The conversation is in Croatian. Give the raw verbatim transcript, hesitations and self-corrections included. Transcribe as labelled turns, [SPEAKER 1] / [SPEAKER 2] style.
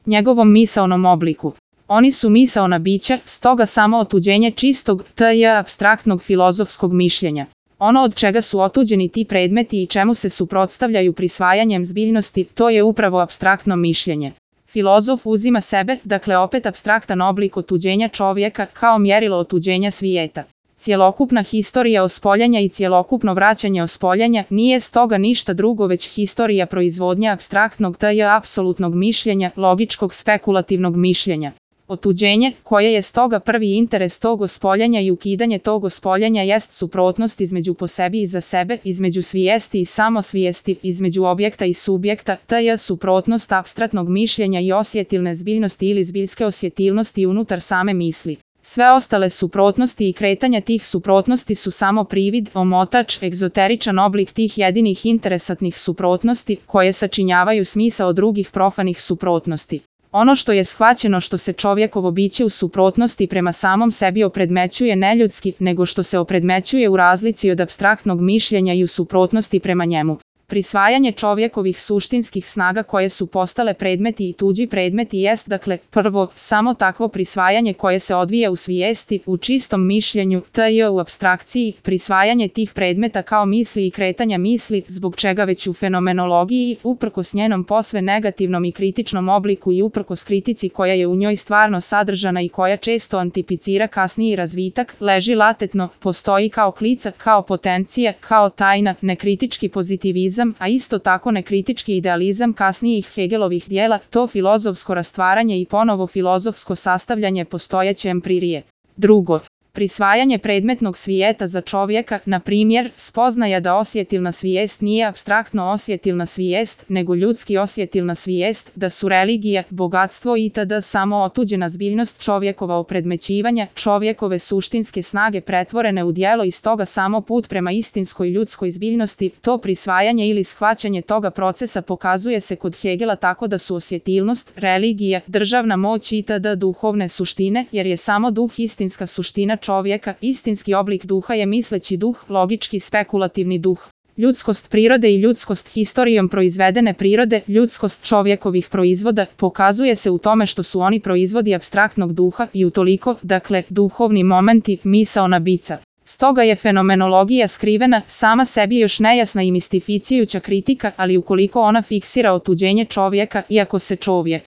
[SPEAKER 1] njegovom misaonom obliku. Oni su misaona bića, stoga samo otuđenje čistog, tj. apstraktnog filozofskog mišljenja. Ono od čega su otuđeni ti predmeti i čemu se suprotstavljaju prisvajanjem zbiljnosti, to je upravo apstraktno mišljenje. Filozof uzima sebe, dakle opet apstraktan oblik otuđenja čovjeka, kao mjerilo otuđenja svijeta. Cjelokupna historija ospoljanja i cjelokupno vraćanje ospoljanja nije stoga ništa drugo već historija proizvodnja apstraktnog tj. apsolutnog mišljenja, logičkog spekulativnog mišljenja. Otuđenje, koje je stoga prvi interes tog ospoljanja i ukidanje tog ospoljanja jest suprotnost između po sebi i za sebe, između svijesti i samosvijesti, između objekta i subjekta, tj. suprotnost apstraktnog mišljenja i osjetilne zbiljnosti ili zbiljske osjetilnosti unutar same misli. Sve ostale suprotnosti i kretanja tih suprotnosti su samo privid, omotač, egzoteričan oblik tih jedinih interesatnih suprotnosti, koje sačinjavaju smisao drugih profanih suprotnosti. Ono što je shvaćeno što se čovjekovo biće u suprotnosti prema samom sebi opredmećuje neljudski, nego što se opredmećuje u razlici od apstraktnog mišljenja i u suprotnosti prema njemu. Prisvajanje čovjekovih suštinskih snaga koje su postale predmeti i tuđi predmeti jest, dakle, prvo, samo takvo prisvajanje koje se odvija u svijesti, u čistom mišljenju, tj. u apstrakciji, prisvajanje tih predmeta kao misli i kretanja misli, zbog čega već u fenomenologiji, uprkos njenom posve negativnom i kritičnom obliku i uprkos kritici koja je u njoj stvarno sadržana i koja često antipicira kasniji razvitak, leži latetno, postoji kao klica, kao potencija, kao tajna, nekritički pozitivizam, a isto tako nekritički idealizam kasnijih Hegelovih dijela, to filozofsko rastvaranje i ponovo filozofsko sastavljanje postojeće empirije. Drugo, prisvajanje predmetnog svijeta za čovjeka, na primjer, spoznaja da osjetilna svijest nije apstraktno osjetilna svijest, nego ljudski osjetilna svijest, da su religija, bogatstvo itd. samo otuđena zbiljnost čovjekova opredmećivanja, čovjekove suštinske snage pretvorene u djelo i stoga samo put prema istinskoj ljudskoj zbiljnosti, to prisvajanje ili shvaćanje toga procesa pokazuje se kod Hegela tako da su osjetilnost, religija, državna moć itd. duhovne suštine, jer je samo duh istinska suština čovjeka, istinski oblik duha je misleći duh, logički spekulativni duh. Ljudskost prirode i ljudskost historijom proizvedene prirode, ljudskost čovjekovih proizvoda, pokazuje se u tome što su oni proizvodi apstraktnog duha i utoliko, dakle, duhovni momenti, misaona bića. Stoga je fenomenologija skrivena, sama sebi još nejasna i mistificijuća kritika, ali ukoliko ona fiksira otuđenje čovjeka, iako se čovjek